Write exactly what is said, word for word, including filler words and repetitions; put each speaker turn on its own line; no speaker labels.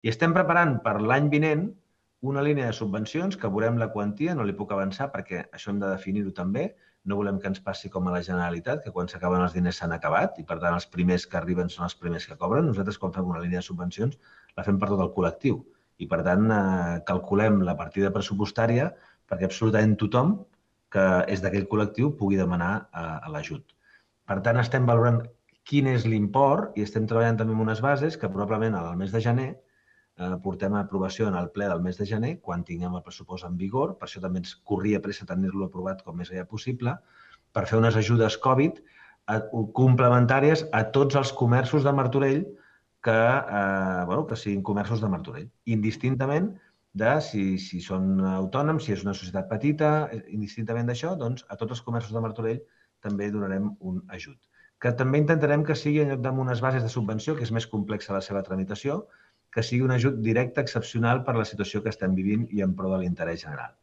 I estem preparant per l'any vinent una línia de subvencions que veurem la quantia, no li puc avançar perquè això hem de definir-ho també, no volem que ens passi com a la Generalitat, que quan s'acaben els diners s'han acabat i per tant els primers que arriben són els primers que cobren. Nosaltres quan fem una línia de subvencions la fem per tot el col·lectiu i per tant eh, calculem la partida pressupostària perquè absolutament tothom que és d'aquell col·lectiu pugui demanar eh, l'ajut. Per tant, estem valorant quin és l'import i estem treballant també amb unes bases que probablement al mes de gener eh, portem a aprovació en el ple del mes de gener, quan tinguem el pressupost en vigor, per això també ens corria pressa tenir-lo aprovat com més aviat possible, per fer unes ajudes Covid eh, complementàries a tots els comerços de Martorell que, eh, bueno, que siguin comerços de Martorell, indistintament de si, si són autònoms, si és una societat petita, indistintament d'això, doncs a tots els comerços de Martorell també donarem un ajut. Que també intentarem que sigui, en lloc d'unes unes bases de subvenció, que és més complexa la seva tramitació, que sigui un ajut directe excepcional per la situació que estem vivint i en pro de l'interès general.